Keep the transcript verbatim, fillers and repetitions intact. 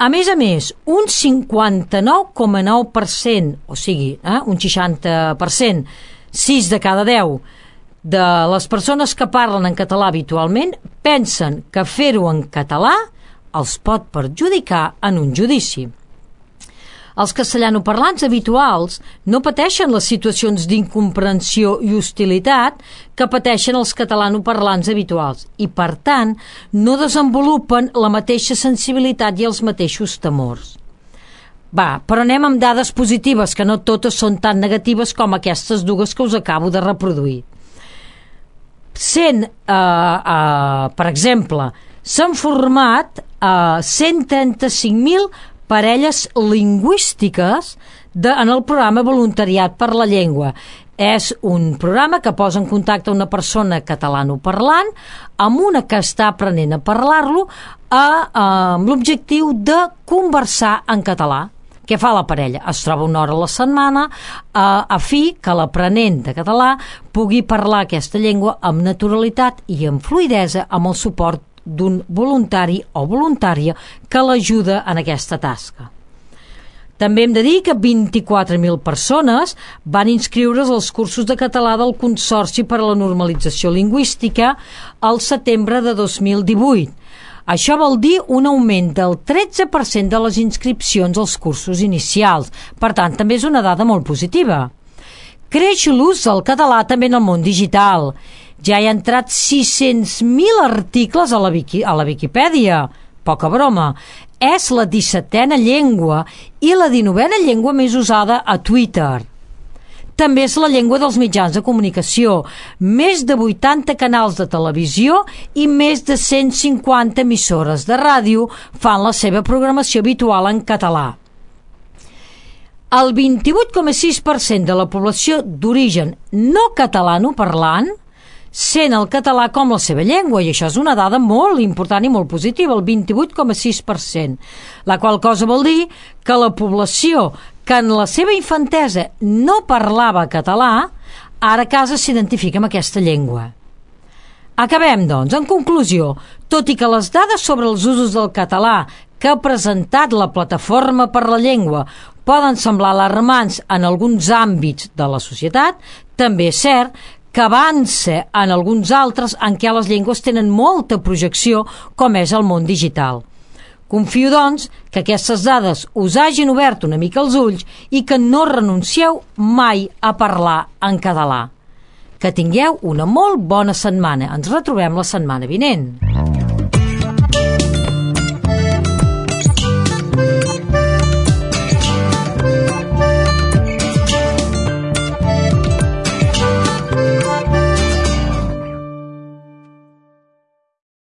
A més a més, un cinquanta-nou coma nou per cent, o sigui, eh, un seixanta per cent, sis de cada deu de les persones que parlen en català habitualment pensen que fer-ho en català els pot perjudicar en un judici. Els castellanoparlants habituals no pateixen les situacions d'incomprensió i hostilitat que pateixen els catalanoparlants habituals i, per tant, no desenvolupen la mateixa sensibilitat i els mateixos temors. Va, però anem amb dades positives, que no totes són tan negatives com aquestes dues que us acabo de reproduir. Sent, eh, eh, per exemple, s'han format eh, cent trenta-cinc mil parelles lingüístiques de, en el programa Voluntariat per la Llengua. És un programa que posa en contacte una persona catalanoparlant amb una que està aprenent a parlar-lo a, a, amb l'objectiu de conversar en català. Què fa la parella? Es troba una hora a la setmana a, a fi que l'aprenent de català pugui parlar aquesta llengua amb naturalitat i amb fluïdesa amb el suport d'un voluntari o voluntària que l'ajuda en aquesta tasca. També hem de dir que vint-i-quatre mil persones van inscriure's als cursos de català del Consorci per a la Normalització Lingüística al setembre de dos mil divuit. Això vol dir un augment del tretze per cent de les inscripcions als cursos inicials. Per tant, també és una dada molt positiva. Creix l'ús del català també en el món digital. Ja hi ha entrat sis-cents mil articles a la, Wiki, a la Viquipèdia. Poca broma. És la dissetena llengua i la dinovena llengua més usada a Twitter. També és la llengua dels mitjans de comunicació. Més de vuitanta canals de televisió i més de cent cinquanta emissores de ràdio fan la seva programació habitual en català. El vint-i-vuit coma sis per cent de la població d'origen no catalanoparlant sent el català com la seva llengua, i això és una dada molt important i molt positiva, el vint-i-vuit coma sis per cent, la qual cosa vol dir que la població que en la seva infantesa no parlava català, ara a casa s'identifica amb aquesta llengua. Acabem, doncs, en conclusió, tot i que les dades sobre els usos del català que ha presentat la Plataforma per la Llengua poden semblar alarmants en alguns àmbits de la societat, també és cert que avança en alguns altres en què les llengües tenen molta projecció, com és el món digital. Confio, doncs, que aquestes dades us hagin obert una mica els ulls i que no renuncieu mai a parlar en català. Que tingueu una molt bona setmana. Ens retrobem la setmana vinent.